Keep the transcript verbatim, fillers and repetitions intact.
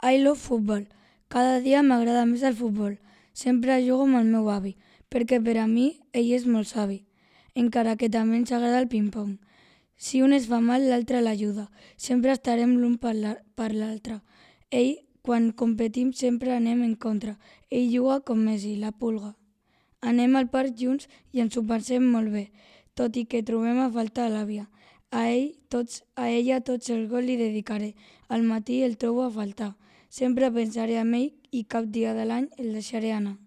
I love football. Cada dia m'agrada més el futbol. Sempre jugo amb el meu avi, perquè per a mi ell és molt savi, encara que també ens agrada el ping-pong. Si un es fa mal, l'altre l'ajuda. Sempre estarem l'un per l'altre. Ell, quan competim, sempre anem en contra. Ell juga com Messi, la pulga. Anem al parc junts i ens ho passem molt bé, tot i que trobem a faltar l'àvia. A ell tots, a ella tots els gols li dedicaré. Al matí el trobo a faltar. Sempre pensaré en ell i cap dia de l'any el deixaré anar.